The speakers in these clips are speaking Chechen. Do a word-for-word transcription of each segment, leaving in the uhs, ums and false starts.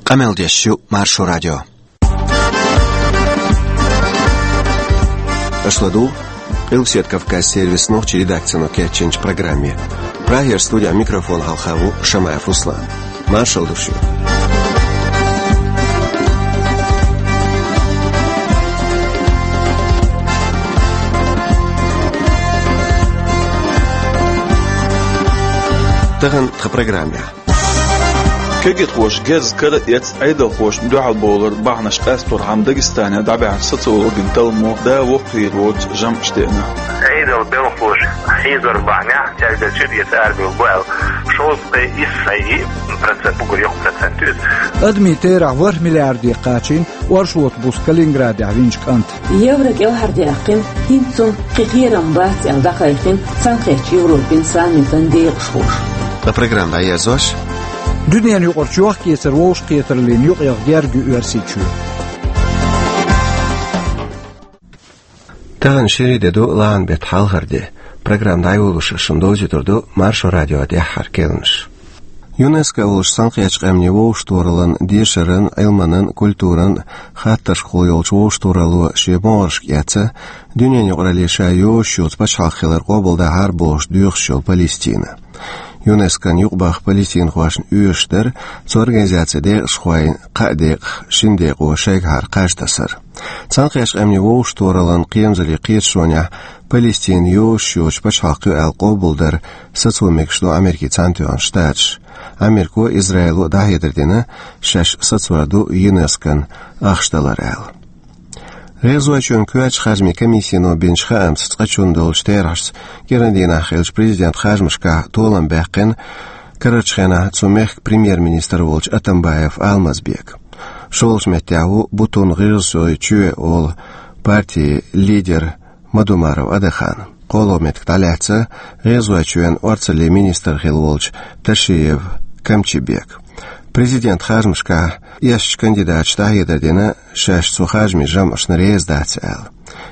Къамел деш ю Маршо радио. Аша ладугӀу Къилбаседа Кавказ сервисан нохчийн редакцино кечйинчу программе. Прагера студин микрофона хьалха ву Шамаев Руслан. Маршалла ду шуьга. Тахана тхан программехь. Кегийрхоша герз кара а эцна, Ӏедалхошна дуьхьал бовлар бахьанаш къасторхьама Дагестанехь дӀабаьхьначу социологийн талламо да воккхавер воцу жамӀаш деана. Ӏедалан белхалоша хьийзар бахьанехь, цаьрга чуьра эца арабевлла бу аьлла, шовзткъе исс а йиъ процент, уггар йоккха процент ю иза. Адамийн терахь ворхӀ миллиарде кхачийна оршот буса Калининградехь винчу кӀанта. Евро кӀелхьардаьккхина, хӀинца цунна кхин кхерам бац аьлла дӀакхайкхина Цхьаьнакхеттачу Европин саммитан декъашхоша. Ткъа программа дӀаерзош: дуьненан юкъарчу йохк-эцаран вовшахкхетараллина юкъаяха герга ю Оьрсийчоь. Тахана шерийн де ду, лахьан беттан хьалхара де. Программа дӀайолош шуна довзуьйтур ду Маршо радион тӀаьххьара керланаш. ЮНЕСКО волчу Цхьаьнакхеттачу Къаьмнийн вовшахтохараллан, дешаран, Ӏилманан, культуран хаттаршкахула йолчу вовшахтохаралло шен могӀаршка эцна, дуьненан юкъаралле ша йозуш йоцу пачхьалкх хилар къобалдахьара бохуш доьхуш йолу Палестина. ЮНЕСКОн юкъабаха палестинхошна оьшуш дара цу организацин декъашхойн кхаа декъах шина декъо шайгахьара кхаж тасар. Цхьаьнакхеттачу Къаьмнийн вовшахтохараллан кхерамзаллин кхеташонехь Палестина йозуш йоцу пачхьалкх ю аьлла къобалдар сацо мегаш ду Америкин Цхьаьнатоьхна Штаташ. Америко а, Израило а дӀахьедар дина, шаьш сацор ду ЮНЕСКОн ахча далар аьлла. ГӀезачоьнан коьртачу харжамийн комиссино бинчу хаамца, цкъачунна долчу терахьашца кӀиран дийнахь хиллачу президентан харжамашкахь толам баьккхина карарчу хенахь цу мехкан премьер-министр волчу Атамбаев Алмазбека. ШолгӀачу меттехь ву Бутун-ГӀиргӀазойн чоь олу партин лидер Мадумаров Адахана. КхоалгӀа меттиг дӀалаьцна ГӀезачоьнан орцаллин министр хилла волчу Ташиев Камчибека. Президентан харжамашкахь эшначу кандидаташа дӀахьедар дина, шаьш цу харжамийн жамӀашна реза дац аьлла.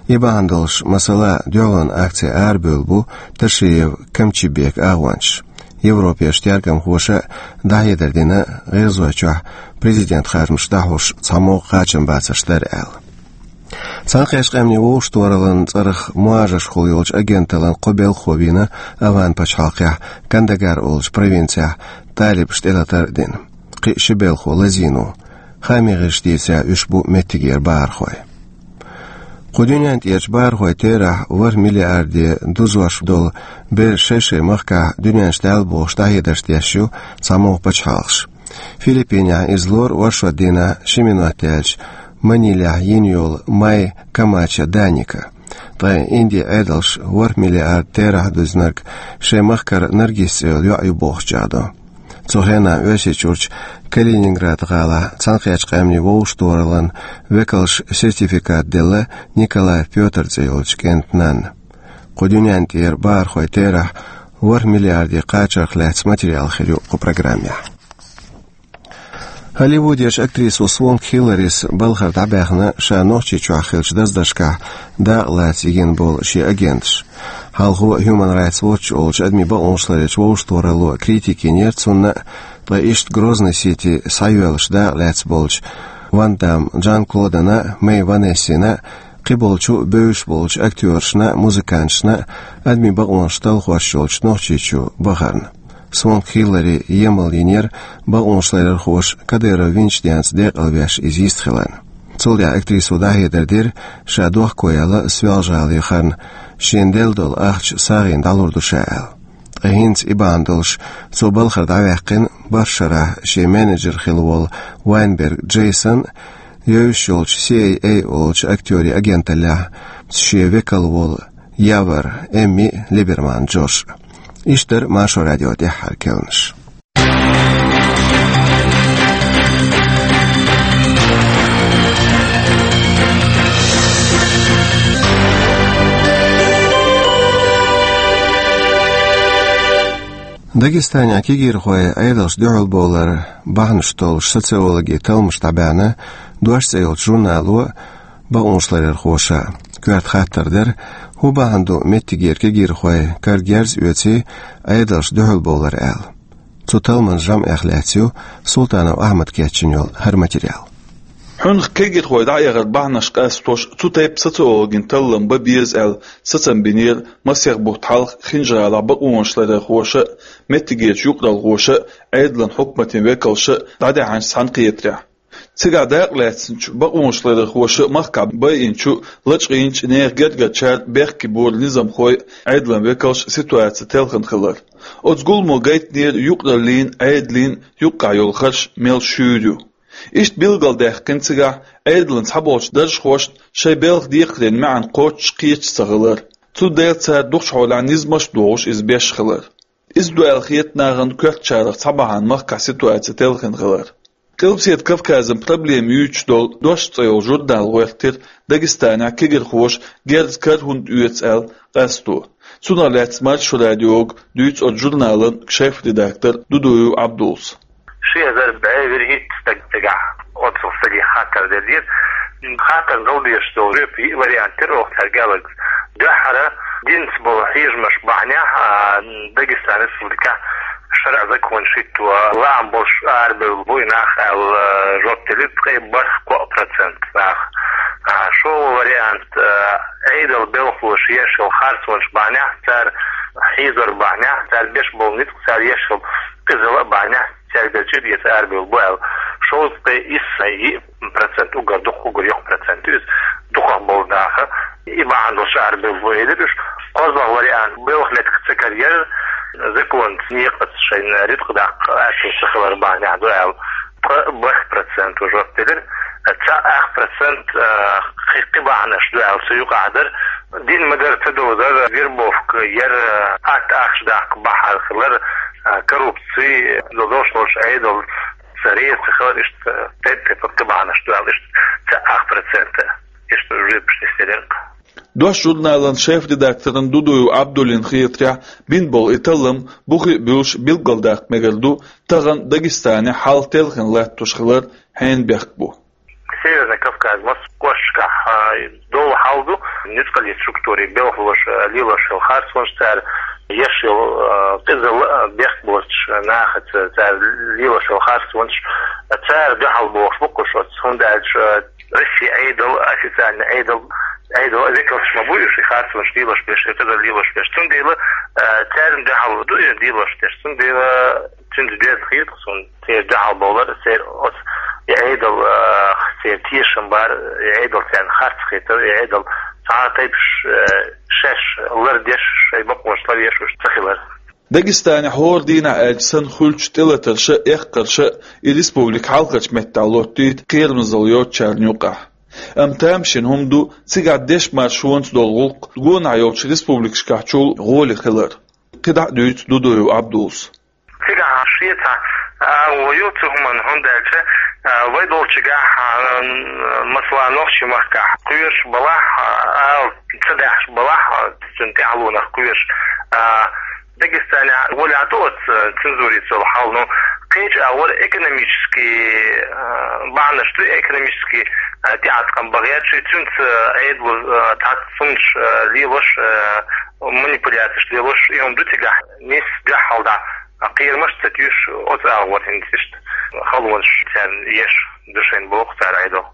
И бахьана долуш, масала, дуьхьалонан акци арабевлла бу Ташиев Камчибека агӀончаш. Европерчу тергамхоша а дӀахьедар дина ГӀиргӀазойчохь президентан харжамаш дӀахьош цхьаммо а кхачам бацарш дара аьлла. Цхьаьнакхеттачу Къаьмнийн вовшахтохараллан цӀарах мухӀажаршкахула йолчу агенталлан кхо белхахо вийна Афган-пачхьалкхехь Кандагар олучу провинцехь талибашна тӀелатар а дина. Кхин а ши белхахо лазийна ву. Хаамийн гӀирсаша дийцарехь, уьш бу меттигера бахархой. Кху дуьнен тӀерачу бахархойн терахь ворхӀ миллиарде дузош долу бераш шай-шайн махкахь дуьнен чу даьлла бохуш дӀахьедарш деш ю цхьаммо а пачхьалкхаш. Филиппинехь иза лору оршот дийнахь ши минот яьлча Манилехь йина йолу Май Камача Даника. Ткъа Индин Ӏедалша ворхӀ миллиард терахь дуьзнарг шайн махкара Наргиз цӀе йолу йоӀ ю бохуш чӀагӀдо. Цу хенахь Оьрсийчуьрчу Калининград гӀалахь Цхьаьнакхеттачу Къаьмнийн вовшахтохараллан векалша сертификат делла Николаев Пётр цӀе йолчу кӀентан нанна. Кху дуьнен тӀера бахархойн терахь ворхӀ миллиарде кхачарх лаьцна материал хир ю кху программехь. Голливудерчу актрисо Свонг Хилларис балхара дӀабаьхна ша Нохчийчохь хиллачу даздаршкахь дакъа лаца йигна болу шен агенташ. Хьалхо Human Rights Watch олучу адамийн бакъонаш ларъечу вовшахтохаралло критика йинера цунна а, ткъа иштта Грозный-Сити схьайоьллуш дакъа лаьцна болчу Ван Дамм Жан-Клодана а, Мэй Ванессина а, кхиболчу бевзаш болчу актёрашна а, музыканташна а адамийн бакъонаш талхош йолчу Нохчийчу бахарна. Свонг Хиллари емал йинера бакъонаш ларъярхоша Кадыров винчу денца декъалвеш иза йист хиларна. Цул тӀаьхьа актрисо дӀахьедар дира, ша дохко яьлла Соьлжа-ГӀалин харна, шена делла долу ахча сагӀина дӀалур ду ша аьлла. Ткъа хӀинца и бахьана долуш цо балхара дӀаваьккхина бархӀ шарахь шен менеджер хилла волу Вайнберг Джейсон а, евзаш йолчу Си Ай Эй олучу актёрийн агенталлехь шен векал волу Явар Эмми а, Либерман Джош а. Иштта дара Маршо радион тӀаьххьара керланаш. Дагестанехь кегийрхойн Ӏедалшна дуьхьалбовлар бахьанаш толлуш социологин талламаш дӀабаьхна «Дош» цӀе йолчу журнало а, бакъонаш ларъярхоша а. Коьрта хаттар дара: хӀун бахьана ду меттигера кегийрхой кара герз а оьций, Ӏедалшна дуьхьалбовлар аьлла? Цу талламан жамӀех лаьцна ю Султанов Ахьмада кечйина йолу хӀара материал. Хьуьнах кегирхой дӀаэгӀар бахьанаш къастош, цу тайпа социологийн таллам бан беза аьлла, сацам бинера масех бутт хьалха Хинжа-ГӀалахь бакъонашларъярхоша а, меттигерчу юкъаралхоша а, Ӏедалан хьукматийн векалша а дӀадаьхьначу цхьаьнакхетарехь. Цигахь дакъалаьцначу бакъонашларъярхоша махкахь байинчу, лачкъийначу нехан гергарчара бехке бора низамхой а, Ӏедалан векалша а ситуаци телхина хилар. Оцу гуламо гайтинера юкъараллин а, Ӏедалан а юккъехь йолу харш мел шуьйра ю. Иштта билгалдаьккхина цигахь Ӏедалан цхьаболчу даржхошна шайн белхан декхарийн маьӀна кхоччуш кхеташ ца хилар. Цундела цара дукхачу хьолехь низамаш а дохуш иза беш хилар. Иза ду аьлла хета нахана коьртачарах цхьа бахьана махкахь ситуаци телхина хилар. Къилбаседа Кавказан проблема юьйцуш долу «Дош» цӀе йолу журнал гӀоьртира Дагестанехь кегирхоша герза кара хӀунда оьцу аьлла къасто. Цунах лаьцна Маршо радиога дуьйцу оцу журналан шеф-редактор Дудуев Ӏабдулас. Ши эзар бӀе вуьрхӀитта стаг цигахь оццул стаге хаттар делира. Хаттарна дала дезаш долу жоьпан йиъ вариант яра оха цаьрга аьлларг. Дуьххьара динца болу хьежамаш бахьанехь, а, Дагестан Республикехь шарӀан законаш хӀитто, лаам болуш арабевлла бу и нах аьлла, жоп делира ткъе бархӀ-коа процент нах. А, шолгӀа вариант, а, Ӏедалан белхалоша еш йолу харцонаш бахьанехь, цара хьийзор бахьанехь, цара беш болу ницкъ, цара еш йолу къизалла а бахьанехь, цаьрга чӀир эца арабевлла бу аьлла. Шовзткъе исс-йиъ процент, уггар дукха, уггар йоккха процент ю иза, дукхах болу нах. И бахьана долуш арабевлла бу элира уьш. КхозлагӀа вариант, белхан меттиг ца карайар, законца, некъаца шайна рицкъ даккха аьтту ца хилар бахьанехь ду аьлла, ткъе бархӀ процент жоп делира. Цхьа ах процент, а, кхин, кхин бахьанаш ду аьлла цу юкъахь дара. Дин ма-дарра ца довзар, вербовка яр, атта ахча даккха бахьана хилар, а, коррупци, долуш долуш Ӏедал ца реза ца хилар, иштта тайп-тайпана кхин бахьанаш ду аьлла, иштта цхьа ах процент, иштта жоьпаш нисделира. «Дош» журналан шеф-редакторна Дудуев Ӏабдуллина хетарехь, бина болу и таллам бухе а буьллуш билгалдаккха мегар ду, тахана Дагестанехь хьал телхина латтош хилар хьенан бехк бу. Северный Кавказ, массо а кӀошташкахь, а, долу хьал ду, ницкъаллин структурийн белхалоша, а, лелош йолу харцонаш, цара еш йолу, а, къизалла, а, бехк боцуш нахаца, цара лелош йолу харцонаш, а, цара дуьхьал бохуш бу кхуш оцу, хӀунда аьлча, а, Россин Ӏедал, официальный Ӏедал, Ӏедал векалш ма бу уьш, и харцонаш лелош берш, и къизалла лелош берш. Цундела, а, царна дуьхьал ду и лелош дерш. Цундела цуьнца доьзна хета суна церан дуьхьал бовлар, церан оцу и Ӏедал, а, церан тешам бар, и Ӏедал царна харц хетар, и Ӏедал цхьа а тайпаш, а, шаьш лардеш, шайн бакъонаш ларъеш уьш ца хилар. Дагестанехь хӀора дийнахь аьлча санна хуьлучу тӀелатарша а, эккхарша а и республика хьалхарчу меттехь лоттуьйту кхерамазалла йоцучарна юкъахь. Амма тамашийна хӀума ду, цигахь дешан маршонца долу гӀуллакх гонахь йолчу республикашкахьчул гӀоли хилар. КхидӀа а дуьйцу Дудуев Ӏабдуллас. Цигахь шен цхьа агӀо ю цу хӀуманна, хӀунда аьлча, а, вай долчуьнгахь, а, масала, нохчийн махкахь кхоьруш балахь, а, ала ца даьхьаш балахь, а, цуьнан тӀаьхьалонах кхоьруш, а, Дагестанехь гӀолехь ду оцу цензурица йолу хьал, ну, кхечу агӀор экономический, а, бахьанаш ду, экономический, а, тӀеӀаткъам бан гӀерташ, цуьнца Ӏедало, а, цхьацца хӀуманаш, а, лелош, а, манипуляцеш лелош, и хӀума ду цигахь, нийса дуьхьал дӀа кхерамаш ца туьйсуш, оцу агӀор хӀинца иштта халонаш царна еш ду шайна боху цара Ӏедал.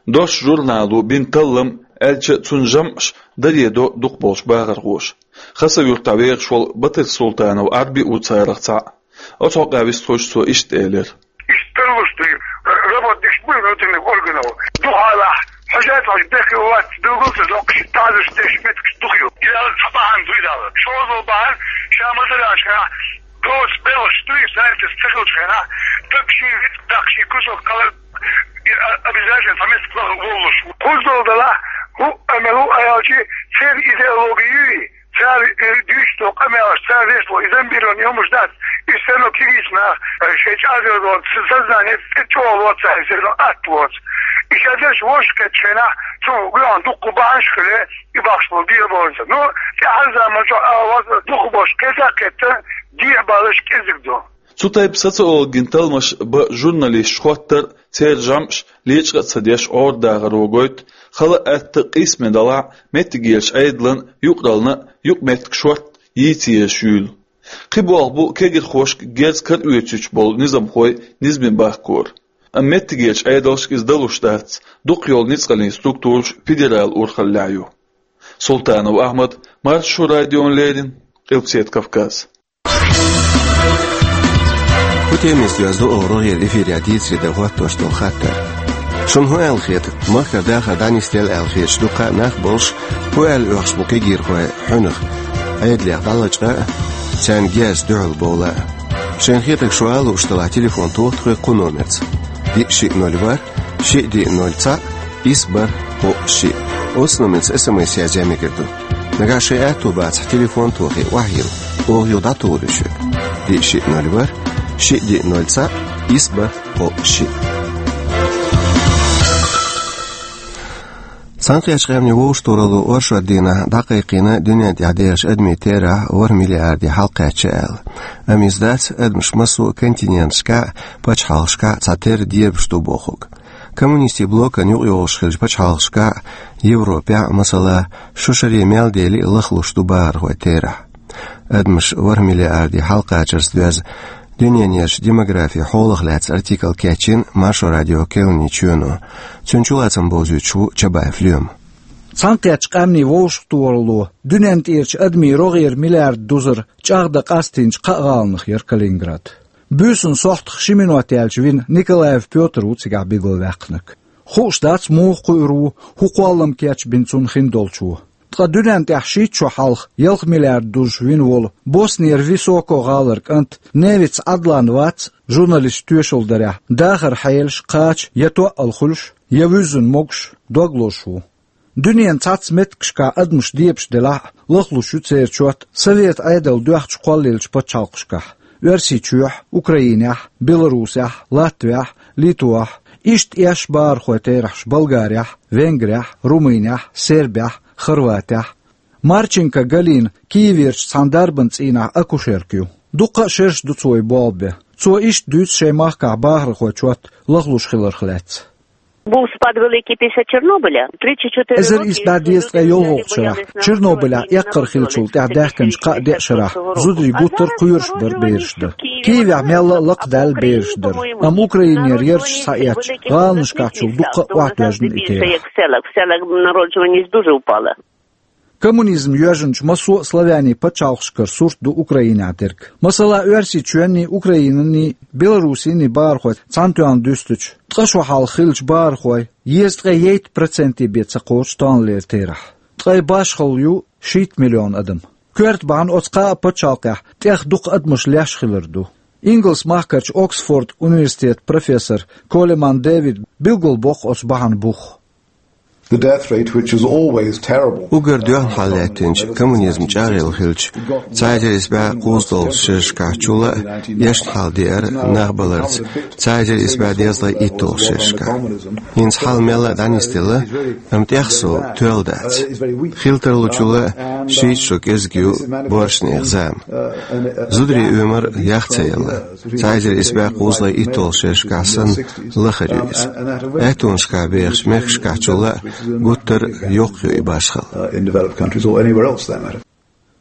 «Дош» журнало бина таллам, аьлча а, цуьнан жамӀаш даре до дукхахболчу бахархоша. Хасавюртахь вехаш волу Батырсултанов Ӏарби а ву царах цхьаъ. Оцу хьокъехь вистхуьлуш цо иштта элира: Иштта тарлуш ду, работникаш бу внутренних органов. Дукха алахь, хьожа а хьожа, бехке вац, билггал ца доккхуш, тазаш деш меттигаш дукха ю. Иза ала цхьа бахьана ду, иза ала. Шозал бахьана, ша ма-дарра аша, доцу белхаш дуй, знаете, ца хилчу хенахь, даг шен вицкъ даккха, шен кусок кхалар, и, а, обязательно цхьа меттиг лаха воллуш. Кхуззал далахь, хӀу а мел ву аьлчи, церан идеология юй, цара, э, дуьйцуш долу къамелаш, цара вешан долу и зомбированный хӀуманаш дац, и всё равно кегийчу наха, э, шайн чӀагӀделла долу с-, сознание тӀе чӀогӀа лоцу цара, и всё равно атта лоцу. И ша дерш вовшах кхеттачу хенахь, цунах гуьйгӀан дуккха бахьанаш а хиле, и бахьаш болу дехьа бовлуш. Ну, тӀаьхьарчу заманчохь ала вац, дукха болуш кхетта а кхетта, дехьа баллаш кӀезиг ду. Цу тайпа социологин талламаш бан журналисташ хоттар, церан жамӀаш лечкъа а ца деш, Ӏордахаро гойту, хала а, атта а къийсаме далахь а, меттигерчу Ӏедална а, юкъараллина а юкъаметтиг шортта йийца езаш юйла. Кхин болх бу кегирхошка герз кара оьцуьйтуш болу низамхой низаме бахкор. Амма меттигерчу Ӏедалшка иза далуш дац, дукха йолу ницкъаллин структураш федералан урхаллехь ю. Султанов Ахьмад, Маршо радиона леррина, Къилбаседа Кавказ. ХӀу темист веза ду рогӀера эфирехь дийцаре дан хӀоттош долу хаттар. Шуна хӀун аьлла хета, махкара дахар дӀанисделла аьлла хеташ ду кхаъ нах болуш, хӀун аьлла оьхуш бу кегирхой хьуьнах, Ӏедалех дӀалачкъа а, царна герз дуьхьал бовла а? Шайна хетарг шу ала лууш делахь, телефон тоха тхоьга кху номерца: диъ шиъ ноль ворхӀ, шиъ диъ ноль цхьаъ, исс бархӀ кхоъ шиъ. Оцу номерца эс эм эс язъян мегар ду. Нагахь шайн аьтто бацахь, телефон тохий, охьайилла, оха юха дӀатухур ю шуьга. Диъ шиъ ноль ворхӀ, шиъ диъ ноль цхьаъ, исс бархӀ кхоъ шиъ. Цхьаьнакхеттачу Къаьмнийн Вовшахтохаралло оршот дийнахь дӀакхайкхийна дуьнен тӀехь дехачу адамийн терахь ворхӀ миллиарде хьалакхаьчча аьлла. Амма иза дац адамаш массо а континенташкахь а, пачхьалкхашкахь а цхьатерра дебаш ду бохург. Коммунистийн блокана юкъайогӀуш хиллачу пачхьалкхашкахь а, Европехь а, масала, шо шаре мел дели а, лахлуш ду бахархойн терахь. Адамаш ворхӀ миллиарде хьалакхачарца доьзна дуьненан ерш демографин хьолах лаьцна артикл кечйина Маршо радион керланийн чоьно. Цуьнан чулацам бовзуьйтуш ву Чабаев Лоьма. Цхьаьнакхеттачу Къаьмнийн Вовшахтохаралло дуьнен тӀерачу адамийн рогӀера миллиард дузар чӀагӀдан къастийначу кхаа гӀаланах яра Калининград. Буьйсанна сохьтах ши минот яьлча вина Николаев Пётр ву цигахь билгалваьккхинарг. Хууш дац, муха кхуьур ву, хӀун кхоллам кечбина цунна хиндолчо. Ткъа дуьнен тӀехь шийтта шо хьалха ялх миллиард дузуш вина волу Боснера Високо гӀалара кӀант Невиц Ӏадлан вац, журналисташ тоьшалла дарехь, дахаран хьелаш кхача я тоъал хуьлуш, я вуьззина могуш, дог лозуш ву. Дуьненан цхьацца меттигашкахь адамаш дебаш делахь а, лахлуш ю церан чот Совет Ӏедал доьхначу кхоллаеллачу пачхьалкхашкахь: Оьрсийчохь, Украинехь, Беларусехь, Латвехь, Литвахь, иштта эшна бахархойн терахьаш Болгарехь, Венгрехь, Румынехь, Сербехь, Хорватехь. Марченко Галина Киеверчу цхьана дарбан цӀийнахь акушерка ю. Дуккха а шераш ду цо и болх бен. Цо иштта дуьйцу шайн махкахь бахархойн чот лахлуш хиларх лаьцна. Був спад великий після Чорнобиля. Тридцять чотири роки ішли люди, які не боялись на вулиці, не виходили з хати, не виходили з дому. Був спад великий після Чорнобиля. Тридцять чотири років. Чорнобилехь эккхар хиллачул тӀаьхьа даьхкинчу кхаа деа шарахь зударий гуттар а кхоьруш бара бераш дар. Киевехь мелла а лакхадаьлла бераш дар. Амма Украинера ярташ схьаэцча, гӀаланашкахьчул дуккха а охьатоьжна и терахь. В селах, в селах народжуваність дуже впала. Коммунизм йоьжначу массо а славянийн пачхьалкхашкара сурт ду Украинехь дерг. Масала, Оьрсийчоьнний, Украинанний, Беларусинний бахархой цхьаьнатоьхна дуьстича, ткъа шо хьалха хиллачу бахархойн дезткъе ейтта проценте бен ца кхочу тахналера терахь. Ткъе башхалла ю шийтта миллион адам. Коьрта бахьана оцу кхаа пачхьалкхехь тӀех дукха адамаш леш хилар ду. Ингалс-махкарчу Оксфорд университетан профессор Колеман Дэвида билгалбоккху оцу бахьана бух. The death rate, which is always terrible. Уггар доьхна хьал лаьттинчу, коммунизм чӀагӀъелла хилча, цхьа эзар исс бӀе кхузткъалгӀачу шерашкахь чул а эшна хьал деара нах баларца цхьа эзар исс бӀе дезткъе итталгӀачу шерашкахь. ХӀинца хьал мелла а дӀанисделла, амма тӀех сов тоьлла дац. Хила тарлучул а шийтта шо кӀезиг ю боьрша нехан зама. Зударийн оьмар ях ца елла. Цхьа эзар исс бӀе кхузткъе итталгӀачу шерашкахь санна лахара ю иза. Аьттонашкахь бехачу мехкашкахь чул а гуттар а йоккха ю и башхалла.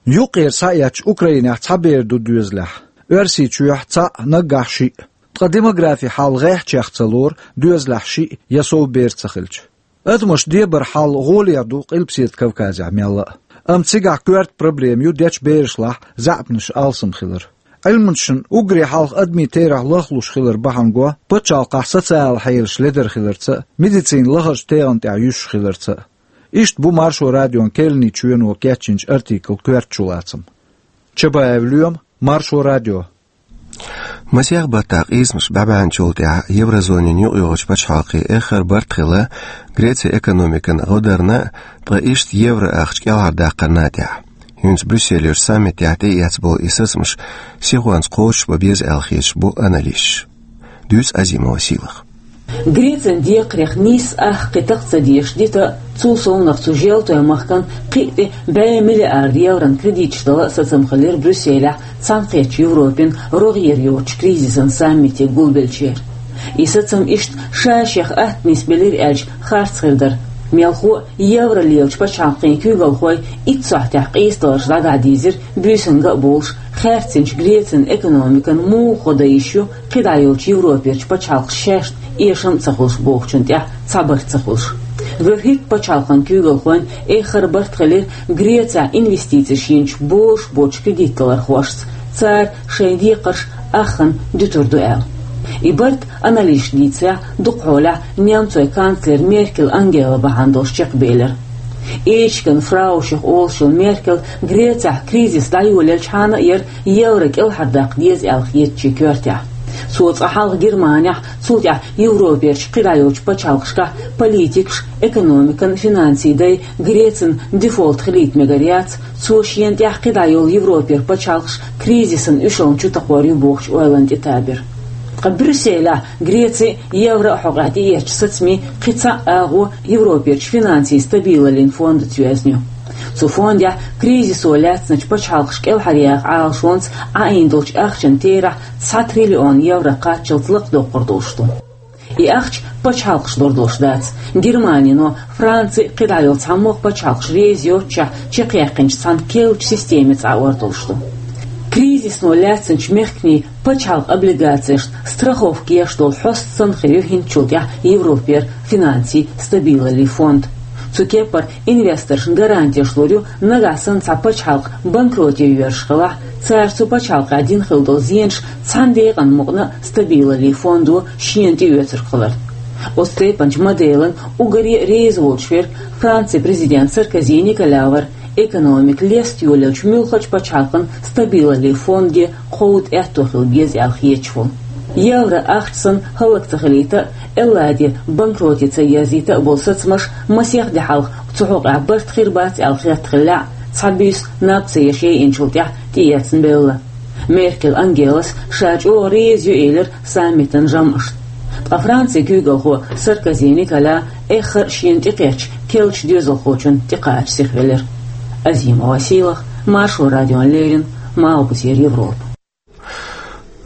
Юккъера схьаэцча, Украинехь цхьа бер ду доьзалехь, Оьрсийчохь цхьаъ, наггахь шиъ. Ткъа демографин хьал гӀеххьачех ца лору доьзалехь шиъ я сов бер ца хилча. Адамаш дебаран хьал гӀоле а ду Къилбаседа Кавказехь мелла а. Амма цигахь коьрта проблема ю дечу берашлахь заьӀапнаш алсам хилар. Ӏилманчашна уггаре хьалха адамийн терахь лахлуш хилар бахьана го пачхьалкхахь социалан хьелаш ледара хиларца а, медицина лахарчу тегӀан тӀехь юьсуш хиларца а. Иштта бу Маршо радион керланийн чоьно кечйинчу артиклан коьрта чулацам. Чабаев Лоьма, Маршо радио. Масех баттахь къийсамаш бӀе баьхначул тӀаьхьа еврозонин юкъайогӀучу пачхьалкхийн эххар барт хилла Грецин экономикан гӀо дарна а, ткъа иштта евро ахча кӀелхьардаккхарна а тӀехь. ХӀинца Брюсселера саммитехь тӀеэцна болу и сацамаш сихонца кхочушбан беза аьлла хеташ бу аналисташ. Дуьйцу Азимова Сийлаха. Грецин декхарех нийсса ах кхин такха ца дезаш дита а, цул совнах цу желтойн махкан кхин а тӀе бӀе миллиард еврон кредиташ дала а сацам хилира Брюсселехь Цхьаьнакхеттачу Европин рогӀера йоцучу кризисан саммите гулбеллачеран. И сацам иштта ша шех атта нисбелира аьлча харц хир дара. Мелхо а евро лелачу пачхьалкхийн куьйгалхой итт сахьтехь къийсадаларш дӀадахьа дийзира, буьйсанга а болуш, хаьрцинчу Грецин экономикан муха хӀо дан йиш ю кхидӀа йолчу Европерчу пачхьалкхаша шаьшна эшам а ца хуьлуш бохучун тӀехь цхьа барт ца хуьлуш. ВуьрхӀитта пачхьалкхан куьйгалхойн эххар барт хилира Грецехь инвестицеш йинчу божуш боцчу кредитдалархошца, цара шайн декхарш аххана дуьтур ду аьлла. И барт, аналитикаша дийцарехь, дукхахьолехь немцойн канцлер Меркель Ангела бахьана долуш чекхбелира. Эчиган фраушех олуш йолу Меркель Грецехь кризис дӀайолаелчхьана а яра евро кӀелхьардаккха деза аьлла хетачийн коьртехь. Цо цкъа хьалха Германехь, цул тӀаьхьа Европерчу кхидӀа йолчу пачхьалкхашкахь политикаш, экономикан, финансийн дай Грецин дефолт хилийта мегар яц, цо шена тӀехь кхидӀа йолу Европера пачхьалкхаш кризисан уьшаллина чу такхор ю бохучу ойланна тӀетабира. Ткъа Брюсселехь Грецин а, еврон а хьокъехь тӀеэцначу сацамийн кхин цхьа а агӀо Европерчу финансийн стабилаллин фондаца йоьзна ю. Цу фондехь кризисо лаьцначу пачхьалкхаша кӀелхьаръяьхначу Ӏалашонца Ӏаийна долчу ахчан терахь цхьа триллион евро кхаччалц лакхадоккхур долуш ду. И ахча пачхьалкхаша лур долуш дац. Германино, Франци а, кхидӀа йолу цхьаммо а пачхьалкхаш реза йоццушехь чекхъяьккхинчу цхьана керлачу системица Ӏаор долуш ду. Кризисно лаьцначу мехкийн пачхьалкхан облигацешна страховка еш долу хьоста санна хир ю хӀинцачул тӀаьхьа Европера финансийн стабилаллин фонд. Цу кепара инвесторшна гарантеш лур ю, нагахь санна цхьа пачхьалкх банкроте йоьрзуш хилахь, цара цу пачхьалкхехь дина хилла долу зенаш цхьана декъана мукъана а стабилаллин фондо шена тӀеоьцург хиларна. Оцу тайпанчу моделан уггаре а реза волчу верг Францин президент Саркози Николя вара, экономика леста йолаелчу муьлххачу пачхьалкхан стабилаллин фонде кховда аьтто хила беза аьлла хеташ волу. Евро ахча санна хӀаллак ца хилийта а, Элладе банкроте ца ерзийта а болу сацамаш масех де хьалха цу хьокъехь барт хир бац аьлла хетта хиллехь а, цхьа буьйса наб ца еш яйинчул тӀаьхьа тӀеэцна белла. Меркель Ангелас ша чӀогӀа реза ю элира саммитан жамӀашна. Ткъа Францин куьйгалхо Саркози Николя эххар а шена тӀекхечча керлачу доьзалхочунна тӀекхача сихвелира. Азима Василах, Маршо радиона леррина, Малхбузера Европа.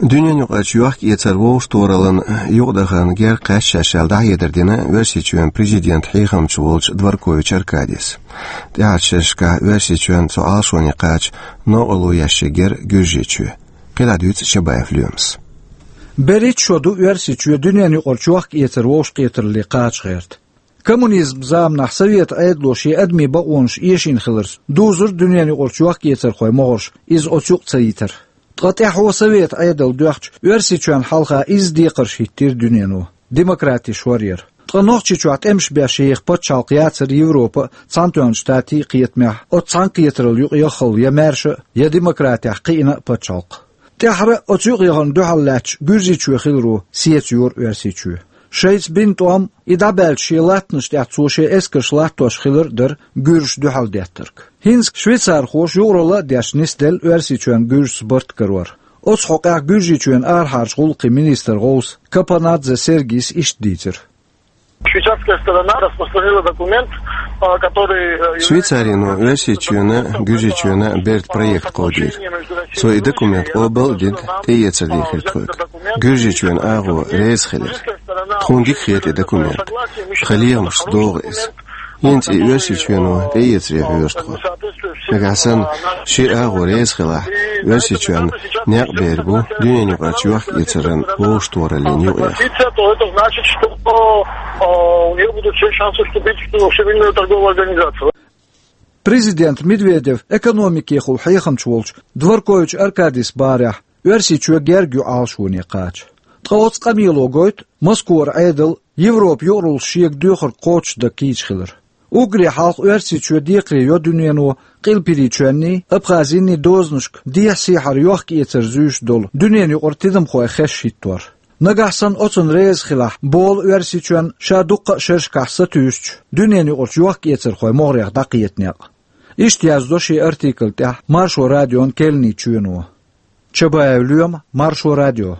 Дуьненаюкъарчу йохк-эцар вовшахтохараллин юкъадахарна герга кхаьчча шаьш аьлла дӀахьедар дина Оьрсийчоьнан президентан хьехамча волчу Дворкович Аркадис. ТӀаьхьарчу шерашкахь Оьрсийчоьнна цу Ӏалашоне кхача новкъарло еш ерг яра Гуьржийчоь. КхидӀа дуьйцу Чабаев Лоьмас. БерхӀитта шо ду Оьрсийчоь дуьненаюкъарчу йохк-эцар вовшахкхетаралле кхача гӀерта. Коммунизман заманахь Советан Ӏедало шен адамийн бакъонаш эшийна хиларца дузура дуьненаюкъарчу йохк-эцархойн могӀарш иза оцу юкъа ца йитар. Ткъа тӀаьхьо Советан Ӏедал доьхча, Оьрсийчоьнна хьалха изза декхарш хӀиттийра дуьнено, демократеш вар яра. Ткъа Нохчийчохь тӀемаш беш еха пачхьалкх яцара Европан а, Цхьаьнатоьхначу Штатийн а кхетамехь оцу цхьаьнакхетаралла юкъа яххал я маьрша а, я демократехь кхиъна а пачхьалкх. ТӀаьххьара оцу юкъаяхарна дуьхьал лаьтташ Гуьржийчоь хиларо сецайора Оьрсийчоь. Шайца бина тӀом, и дӀабаьллачу шен латтанаш тӀехь цо шен эскарш латтош хилар а дара гуьржаша дуьхьал деттарг. ХӀинца швейцархоша юкъаралла а деш нисделла Оьрсийчоьнна гуьржашца барт карор. Оцу хьокъехь Гуьржийчоьнан арахьарчу гӀуллакхийн министран гӀовс Капанадзе Сергис иштта дийцира. Швейцарская сторона распространила документ, а, который, э, Швейцарино Оьрсийчоьнна, Гуьржийчоьнна берда проект кховдийра. Цо и документ къобал а дина, тӀеэцар дийхира тхоьга. Гуьржийчоьнан агӀо реза хилира. Тхуна дика хета и документ. Тхан лехамашца догӀу иза. ХӀинца и Оьрсийчоьно тӀеэцаре хьоьжу тхо. Нагахь санна ши агӀо реза хилахь, Оьрсийчоьнна некъ бер бу дуьненаюкъарчу йохк-эцаран вовшахтохараллин юкъа яха. Позиция, то это значит, что, э, у неё будут все шансы вступить в Всемирную торговую организацию. Президент Медведев экономикехула хьехамча волчу Дворкович Аркадис барехь, Оьрсийчоь герга ю Ӏалашоне кхача. Ткъа оцу къамело гойту Москвара Ӏедал Европа юкъараллаш шега доьхург кхочушдан кийча хилар. Уггаре хьалха Оьрсийчоь декхаре йо дуьнено Къилбаседа Пирачоьнний, Абхазийний дозанашка дехьа-сехьара йохк-эцар зуьйш долу дуьненаюкъара тидамхойн хеш хӀиттор. Нагахь санна оцунна реза хилахь, болу Оьрсийчоьнна ша дуккха а шерашкахь сатуьйсучу дуьненаюкъарчу йохк-эцархойн могӀарех дӀакхета некъ. Иштта яздо шен артикл тӀехь Маршо радион керланийн чоьно. Чабаев Лоьма, Маршо радио.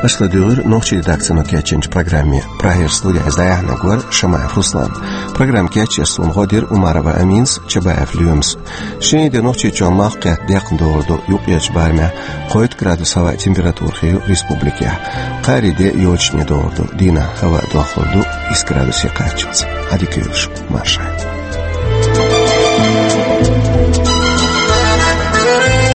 Аша ладугӀура нохчийн редакцино кечйинчу программе. Прагера студехь иза дӀаяьхьнарг вара Шамаев Руслан. Программа кечъеш суна гӀо дира Умарова Аминас, Чабаев Лоьмас. Шен де Нохчийчоьнна малх кхетта декхна догӀур ду, юккъерчу барамехь кхойтта градус хӀаваан температура хир ю республикехь. Кхаарин де йочане догӀур ду, дийнахь хӀаваан дохлур ду исс градусе кхаччалц. Ӏадика йойла шун, марша.